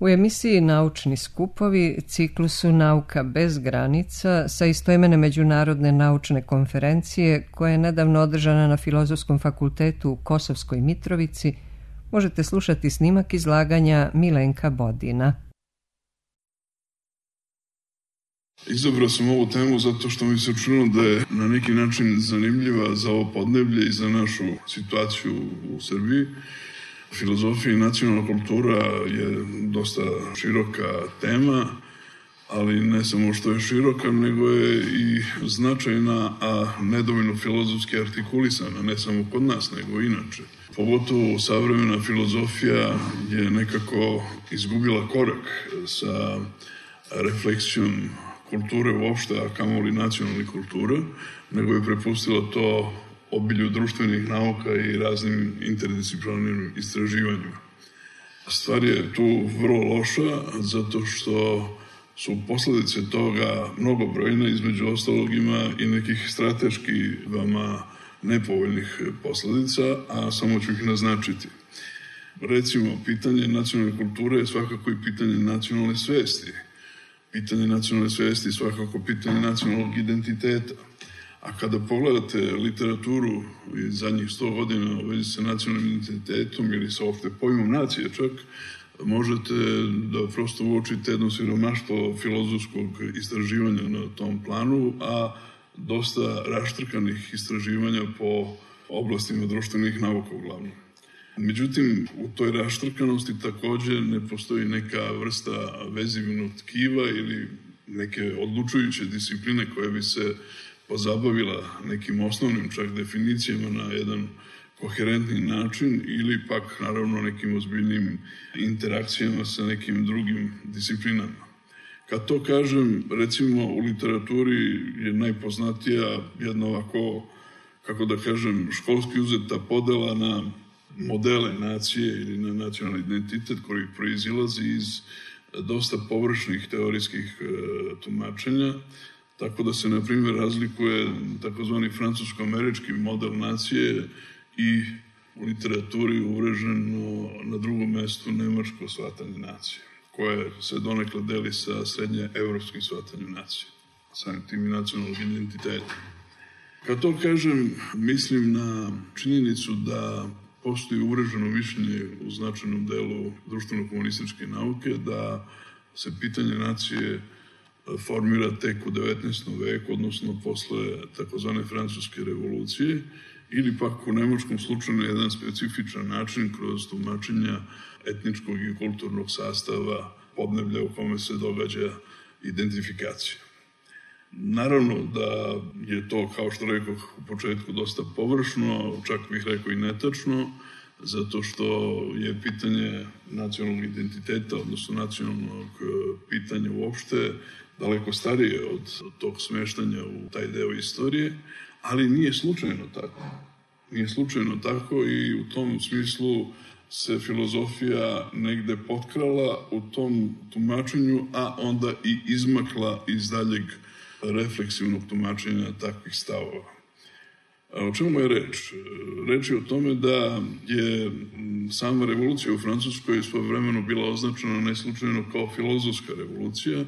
U emisiji Naučni skupovi ciklusu Nauka bez granica sa istoimene međunarodne naučne konferencije koja je nedavno održana na Filozofskom fakultetu u Kosovskoj Mitrovici možete slušati snimak izlaganja Milenka Bodina. Izabrao sam ovu temu zato što mi se učinilo da je na neki način zanimljiva za ovo podneblje i za našu situaciju u Srbiji. Filozofija i nacionalna kultura je dosta široka tema, ali ne samo što je široka, nego je i značajna, a nedovoljno filozofski artikulisana, ne samo kod nas, nego inače. Pogotovo savremena filozofija je nekako izgubila korak sa refleksijom kulture uopšte, a kamoli nacionalnih kultura, nego je prepustila to obilju društvenih nauka i raznim interdisciplinarnim istraživanjima. Stvar je tu vrlo loša, zato što su posledice toga mnogobrojne, između ostalog ima i nekih strateški vama nepovoljnih posledica, a samo ću ih naznačiti. Recimo, pitanje nacionalne kulture je svakako i pitanje nacionalne svesti. Pitanje nacionalne svesti je svakako pitanje nacionalnog identiteta. A kada pogledate literaturu iz zadnjih 100 godina u vezi sa nacionalnim identitetom ili sa opšte pojmom nacije čak, možete da prosto uočite jedno siromaštvo filozofskog istraživanja na tom planu, a dosta raštrkanih istraživanja po oblastima društvenih nauka uglavnom. Međutim, u toj raštrkanosti takođe ne postoji neka vrsta vezivnog tkiva ili neke odlučujuće discipline koja bi se pozabavila nekim osnovnim čak definicijama na jedan koherentni način ili pak naravno nekim ozbiljnim interakcijama sa nekim drugim disciplinama. Kad to kažem, recimo u literaturi je najpoznatija jedna ovako, kako da kažem, školski uzeta podela na modele nacije ili na nacionalni identitet koji proizilazi iz dosta površnih teorijskih tumačenja, tako da se, na primjer, razlikuje takozvani francusko-američki model nacije i u literaturi uvreženo na drugom mestu nemačko shvatanje nacije, koje se donekle deli sa srednje evropskim shvatanjem nacije, samim tim i nacionalnog identiteta. Kad to kažem, mislim na činjenicu da postoji uvreženo mišljenje u značajnom delu društveno-komunističke nauke da se pitanje nacije formira tek u 19. veku, odnosno posle takozvane francuske revolucije, ili pak u nemačkom slučaju na jedan specifičan način kroz tumačenja etničkog i kulturnog sastava podneblja u kome se događa identifikacija. Naravno da je to, kao što rekoh u početku, dosta površno, čak bih rekao i netačno, zato što je pitanje nacionalnog identiteta, odnosno nacionalnog pitanja uopšte, daleko starije od tog smeštanja u taj deo istorije, ali nije slučajno tako. Nije slučajno tako i u tom smislu se filozofija negde potkrala u tom tumačenju, a onda i izmakla iz daljeg refleksivnog tumačenja takvih stavova. O čemu je reč? Reč je o tome da je sama revolucija u Francuskoj svojevremeno bila označena neslučajno kao filozofska revolucija,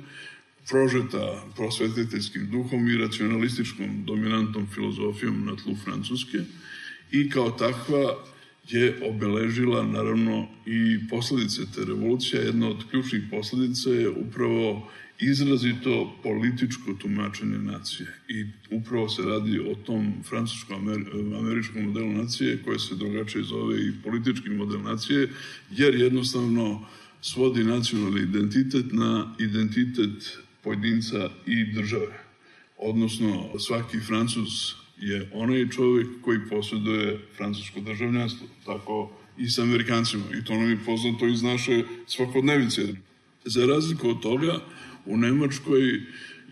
prožeta prosvetiteljskim duhom i racionalističkom dominantnom filozofijom na tlu Francuske i kao takva je obeležila naravno i posledice te revolucije. Jedna od ključnih posledica je upravo izrazito političko tumačenje nacije i upravo se radi o tom francusko-američkom modelu nacije koje se drugačije zove i politički model nacije, jer jednostavno svodi nacionalni identitet na identitet pojedinca i države. Odnosno, svaki Francuz je onaj čovjek koji posjeduje francusko državljanstvo, tako i sa Amerikancima. I to nam je poznato iz naše svakodnevice. Za razliku od toga, u Nemačkoj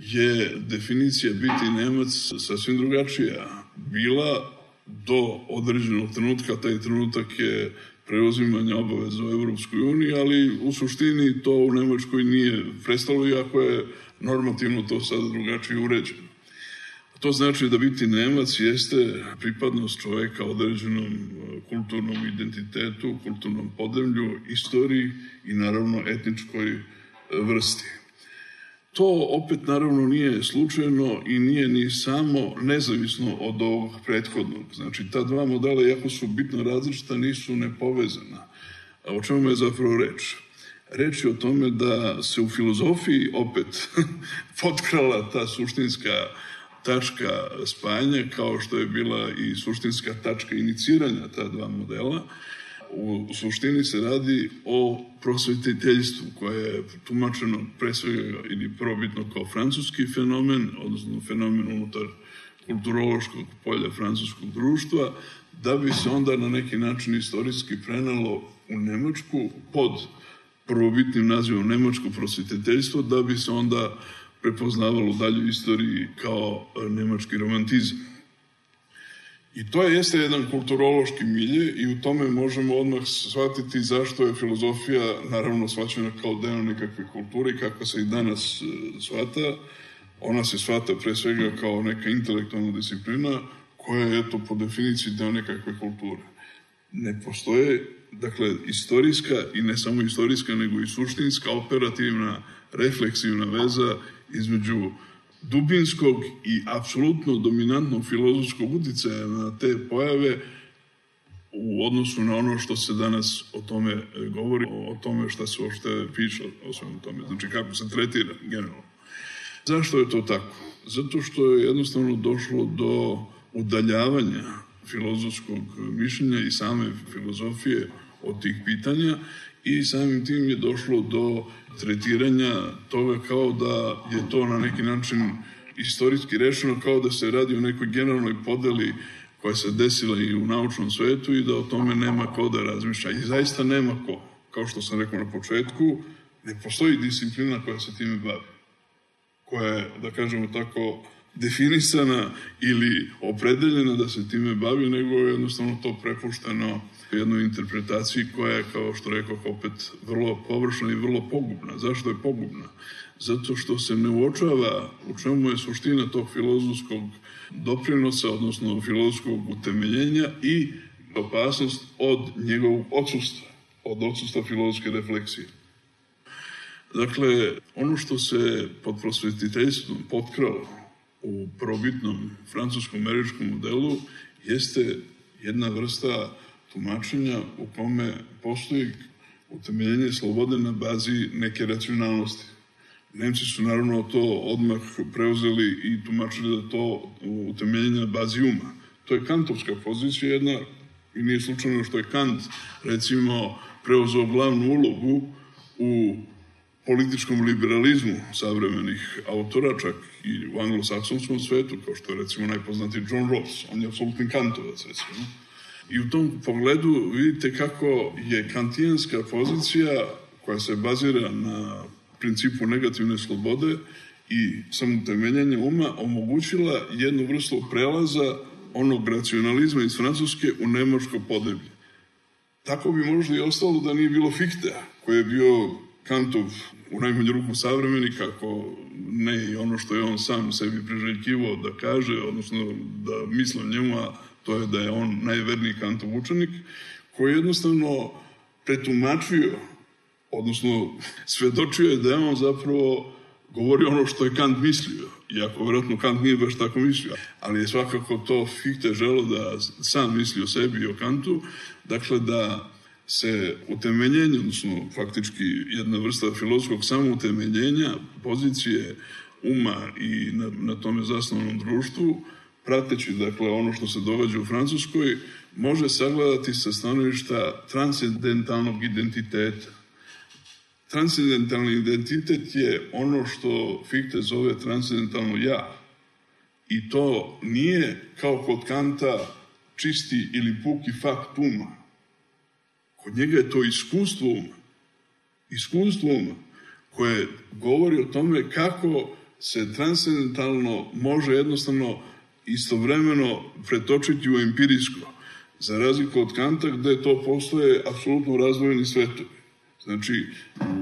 je definicija biti Nemac sasvim drugačija. Bila do određenog trenutka, taj trenutak je preuzimanje obaveza u Evropskoj uniji, ali u suštini to u Nemačkoj nije prestalo, iako je normativno to sada drugačije uređeno. To znači da biti Nemac jeste pripadnost čoveka određenom kulturnom identitetu, kulturnom podneblju, istoriji i naravno etničkoj vrsti. To opet naravno nije slučajno i nije ni samo nezavisno od ovog prethodnog. Znači, ta dva modela, iako su bitno različita, nisu nepovezana. A o čemu je zapravo reč? Reč je o tome da se u filozofiji opet potkrala ta suštinska tačka spajanja, kao što je bila i suštinska tačka iniciranja ta dva modela. U suštini se radi o prosvetiteljstvu koje je tumačeno pre svega ili probitno kao francuski fenomen, odnosno fenomen unutar kulturološkog polja francuskog društva, da bi se onda na neki način istorijski prenalo u Nemačku pod prvobitnim nazivom nemačko prosvetiteljstvo, da bi se onda prepoznavalo u daljoj istoriji kao nemački romantizam. I to jeste jedan kulturološki milje i u tome možemo odmah shvatiti zašto je filozofija naravno shvaćena kao deo nekakve kulture i kako se i danas shvata. Ona se shvata pre svega kao neka intelektualna disciplina koja je eto po definiciji deo nekakve kulture. Ne postoje, dakle, istorijska i ne samo istorijska nego i suštinska, operativna, refleksivna veza između dubinskog i apsolutno dominantnog filozofskog uticaja na te pojave u odnosu na ono što se danas o tome govori, o tome šta se uopšte piše o svemu tome, znači kako se tretira generalno. Zašto je to tako? Zato što je jednostavno došlo do udaljavanja filozofskog mišljenja i same filozofije od tih pitanja i samim tim je došlo do tretiranja toga kao da je to na neki način istorijski rečeno, kao da se radi o nekoj generalnoj podeli koja se desila i u naučnom svetu i da o tome nema ko da razmišlja. I zaista nema ko. Kao što sam rekao na početku, ne postoji disciplina koja se time bavi. Koja je, da kažemo tako, definisana ili opredeljena da se time bavi, nego je jednostavno to prepušteno jednoj interpretaciji koja je, kao što rekao, opet vrlo površna i vrlo pogubna. Zašto je pogubna? Zato što se ne uočava u čemu je suština tog filozofskog doprinosa, odnosno filozofskog utemeljenja i opasnost od njegovog odsustva, od odsustva filozofske refleksije. Dakle, ono što se pod prosvetiteljstvom potkralo u probitnom francusko-američkom modelu jeste jedna vrsta tumačenja u kome postoji utemeljenje slobode na bazi neke racionalnosti. Nemci su naravno to odmah preuzeli i tumačili da to utemeljenje na bazi uma. To je kantovska pozicija jedna i nije slučajno što je Kant recimo preuzeo glavnu ulogu u političkom liberalizmu savremenih autora, čak i u anglosaksonskom svetu, kao što je recimo najpoznatiji John Rawls. On je apsolutni kantovac, recimo. I u tom pogledu vidite kako je kantijanska pozicija koja se bazira na principu negativne slobode i samotemeljenja uma omogućila jednu vrstu prelaza onog racionalizma iz Francuske u nemačko podneblje. Tako bi možda i ostalo da nije bilo Fichtea, koji je bio Kantov u najmanju ruku savremenik, ako ne i ono što je on sam sebi priželjkivao da kaže, odnosno da misle njemu, a to je da je on najverniji Kantov učenik, koji je jednostavno pretumačio, odnosno svedočio je da je on zapravo govorio ono što je Kant mislio, iako vjerojatno Kant nije baš tako mislio, ali je svakako to Fichte želeo da sam misli o sebi i o Kantu, dakle da se utemeljenje, odnosno faktički jedna vrsta filozofskog samoutemeljenja, pozicije uma i na tome zasnovanom društvu, prateći dakle ono što se događa u Francuskoj, može sagledati sa stanovišta transcendentalnog identiteta. Transcendentalni identitet je ono što Fichte zove transcendentalno ja. I to nije kao kod Kanta čisti ili puki fakt uma. Kod njega je to iskustvo uma. Iskustvo uma koje govori o tome kako se transcendentalno može jednostavno istovremeno pretočiti u empirijsko. Za razliku od Kanta gde to postoje apsolutno razdvojeni svetovi. Znači,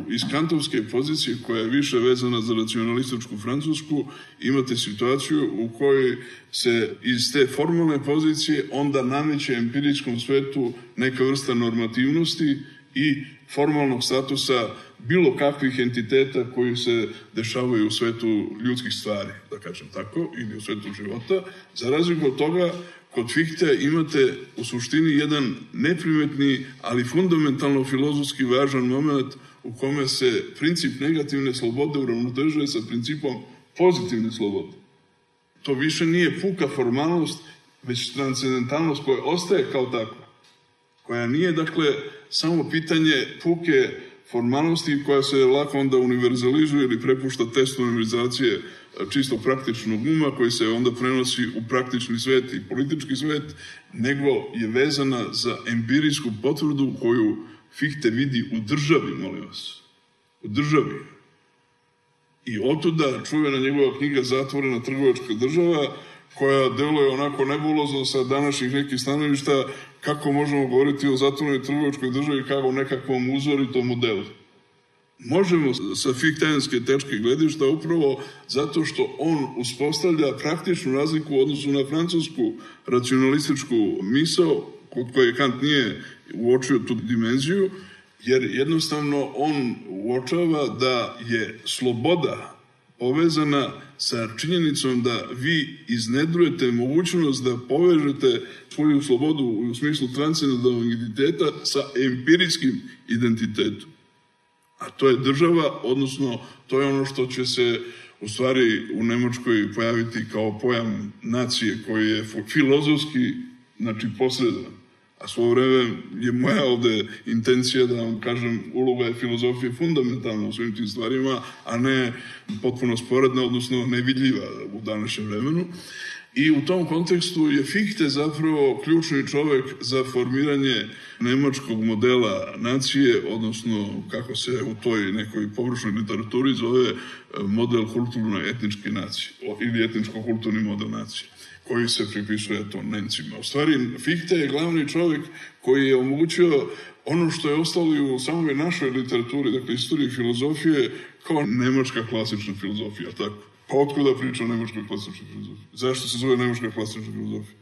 iz kantovske pozicije koja je više vezana za racionalističku Francusku, imate situaciju u kojoj se iz te formalne pozicije onda nameće empirijskom svetu neka vrsta normativnosti i formalnog statusa bilo kakvih entiteta koji se dešavaju u svetu ljudskih stvari, da kažem tako, ili u svetu života. Za razliku od toga, kod Fichte imate u suštini jedan neprimetni, ali fundamentalno filozofski važan moment u kome se princip negativne slobode uravnotežuje sa principom pozitivne slobode. To više nije puka formalnost, već transcendentalnost koja ostaje kao takva, koja nije, dakle, samo pitanje puke formalnosti koja se lako onda univerzalizuje ili prepušta testu univerzalizacije čisto praktičnog uma koji se onda prenosi u praktični svet i politički svet, nego je vezana za empirijsku potvrdu koju Fichte vidi u državi, molim vas. U državi. I otuda čuvena njegova knjiga Zatvorena trgovačka država, koja deluje onako nebulozno sa današnjih nekih stanovišta, kako možemo govoriti o zatvorenoj trgovačkoj državi kao o nekakvom uzoritom modelu. Možemo sa fichtenske tečke gledišta upravo zato što on uspostavlja praktičnu razliku u odnosu na francusku racionalističku misao, kod koje Kant nije uočio tu dimenziju, jer jednostavno on uočava da je sloboda povezana sa činjenicom da vi iznedrujete mogućnost da povežete svoju slobodu u smislu transcendentalnog identiteta sa empirijskim identitetom. A to je država, odnosno to je ono što će se u stvari u Nemačkoj pojaviti kao pojam nacije koji je filozofski, znači posredan. A svoje vreme je moja ovde intencija da vam kažem uloga je filozofije fundamentalna u svim tim stvarima, a ne potpuno sporedna, odnosno nevidljiva u današnjem vremenu. I u tom kontekstu je Fichte zapravo ključni čovek za formiranje nemačkog modela nacije, odnosno kako se u toj nekoj površnoj literaturi zove model kulturno-etničke nacije ili etničko-kulturni model nacije, koji se pripisuje to Nemcima. U stvari, Fichte je glavni čovjek koji je omogućio ono što je ostalo i u samoj našoj literaturi, dakle istoriji filozofije, kao nemačka klasična filozofija, tako. Pa otkuda priča o nemačkoj klasičnoj filozofiji? Zašto se zove nemačka klasična filozofija?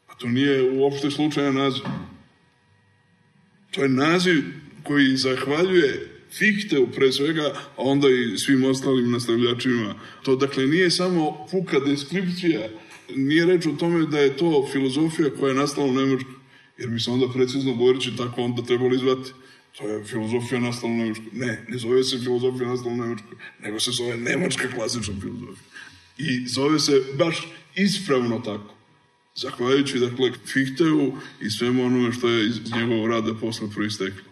Pa to nije uopšte slučajan naziv. To je naziv koji zahvaljuje Fichteu pre svega, a onda i svim ostalim nastavljačima. To, dakle, nije samo puka deskripcija, nije reč o tome da je to filozofija koja je nastala u Nemačkoj, jer bi se onda precizno govoreći tako onda trebali zvati. To je filozofija nastala u Nemačkoj. Ne zove se filozofija nastala u Nemačkoj, nego se zove nemačka klasična filozofija. I zove se baš ispravno tako. Zahvaljujući, dakle, Fichteu i svemu onome što je iz njegovog rada posle proisteklo.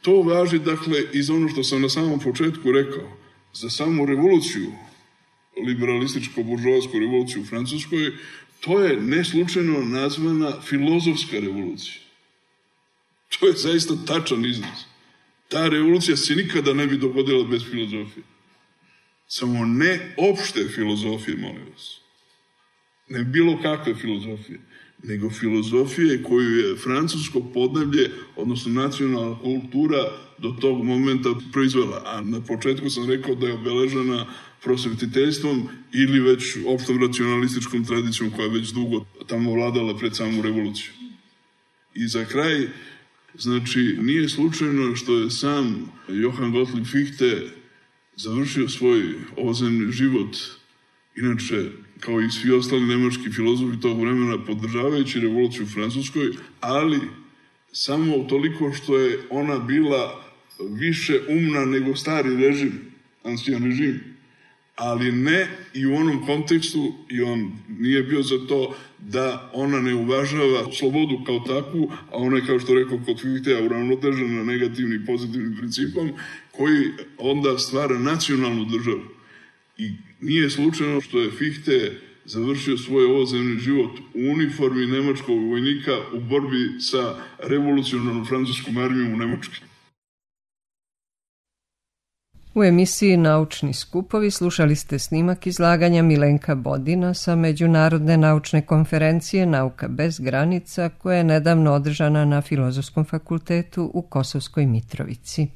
To važi, dakle, i za ono što sam na samom početku rekao, za samu revoluciju, liberalističko-buržovatsku revoluciju u Francuskoj, to je neslučajno nazvana filozofska revolucija. To je zaista tačan izraz. Ta revolucija se nikada ne bi dogodila bez filozofije. Samo ne opšte filozofije, molim vas. Ne bilo kakve filozofije, nego filozofije koju je francusko podneblje, odnosno nacionalna kultura, do tog momenta proizvela. A na početku sam rekao da je obeležena prosvetiteljstvom ili već opštom racionalističkom tradicijom koja je već dugo tamo vladala pred samu revoluciju. I za kraj, znači, nije slučajno što je sam Johann Gottlieb Fichte završio svoj ovozemni život, inače, kao i svi ostali nemački filozofi tog vremena, podržavajući revoluciju u Francuskoj, ali samo toliko što je ona bila više umna nego stari režim, ancien režim, ali ne i u onom kontekstu, i on nije bio za to da ona ne uvažava slobodu kao takvu, a ona je, kao što rekao kod Fichtea, uravnotežena negativnim i pozitivnim principom, koji onda stvara nacionalnu državu. I nije slučajno što je Fichte završio svoj ovozemni život u uniformi nemačkog vojnika u borbi sa revolucionarnom francuskom armijom u Nemačkoj. U emisiji Naučni skupovi slušali ste snimak izlaganja Milenka Bodina sa Međunarodne naučne konferencije Nauka bez granica koja je nedavno održana na Filozofskom fakultetu u Kosovskoj Mitrovici.